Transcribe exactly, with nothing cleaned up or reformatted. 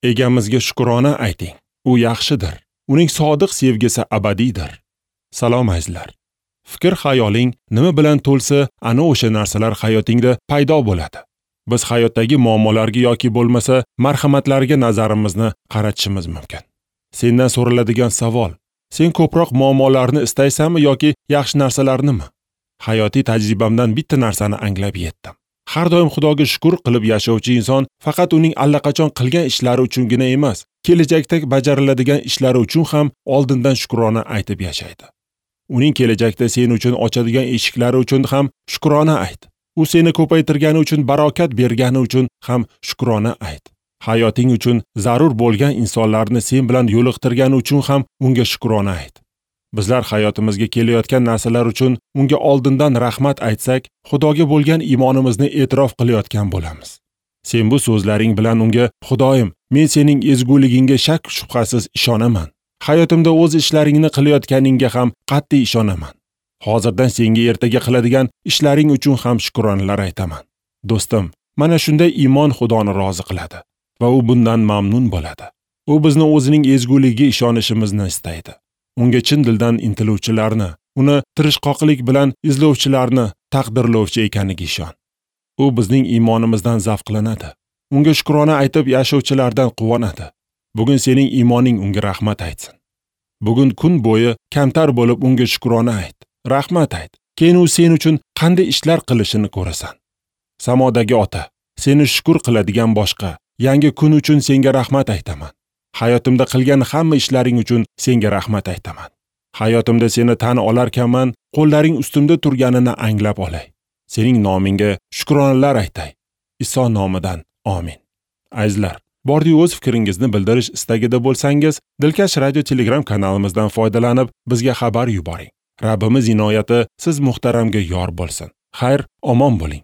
Egamizga shukrona ayting. U yaxshidir. Uning sodiq sevgisi abadiydir. Salom azizlar. Fikr xayoling nima bilan to'lsa, ana o'sha narsalar hayotingda paydo bo'ladi. Biz hayotdagi muammolarga yoki bo'lmasa marhamatlarga nazarimizni qaratishimiz mumkin. Sendan so'raladigan savol: sen ko'proq muammolarni istaysanmi yoki yaxshi narsalarnimi? Hayotiy tajribamdan bitta narsani anglab yetdim. Har doim Xudoga shukr qilib yashovchi inson faqat uning allaqachon qilgan ishlari uchungina emas, kelajakda bajariladigan ishlari uchun ham oldindan shukrona aytib yashaydi. Uning kelajakda sen uchun ochadigan eshiklari uchun ham shukrona ayt. U seni ko'paytirgani uchun, barokat bergani uchun ham shukrona ayt. Hayoting uchun zarur bo'lgan insonlarni sen bilan yo'liqtirgani uchun ham unga shukrona ayt. Bizlar hayotimizga kelayotgan narsalar uchun unga oldindan rahmat aytsak, Xudoga bo'lgan iymonimizni e'tirof qilayotgan bo'lamiz. Sen bu so'zlaring bilan unga: Xudoyim, men sening ezguligingga shak shubhasiz ishonaman. Hayotimda o'z ishlaringni qilayotganingga ham qat'iy ishonaman. Hozirdan senga ertaga qiladigan ishlaring uchun ham shukronalar aytaman. Do'stim, mana shunday iymon Xudoni rozi qiladi va u bundan mamnun bo'ladi. U bizni o'zining ezguligiga ishonishimizni istaydi. Unga chin dildan intiluvchilarni, uni tirishqoqlik bilan izlovchilarni taqdirlovchi ekaniga ishon. U bizning iymonimizdan zavqlanadi. Unga shukrona aytib yashovchilardan quvonadi. Bugun sening iymoning unga rahmat aytsin. Bugun kun bo'yi kamtar bo'lib unga shukrona ayt, rahmat ayt. Keyin u sen uchun qanday ishlar qilishini ko'rasan. Samodagi ota, seni shukr qiladigan boshqa yangi kun uchun senga rahmat aytaman. Hayotimda qilgan hamma ishlaring uchun senga rahmat aytaman. Hayotimda seni tan olarkanman, qo'llaring ustimda turganini anglab olay. Sening nomingga shukronalar aytay. Iso nomidan amin. Azizlar, bordi o'z fikringizni bildirish istagida bo'lsangiz, Dilkash Radio Telegram kanalimizdan foydalanib bizga xabar yuboring. Rabbimiz inoyati siz muhtaramga yor bo'lsin. Xayr, omon bo'ling.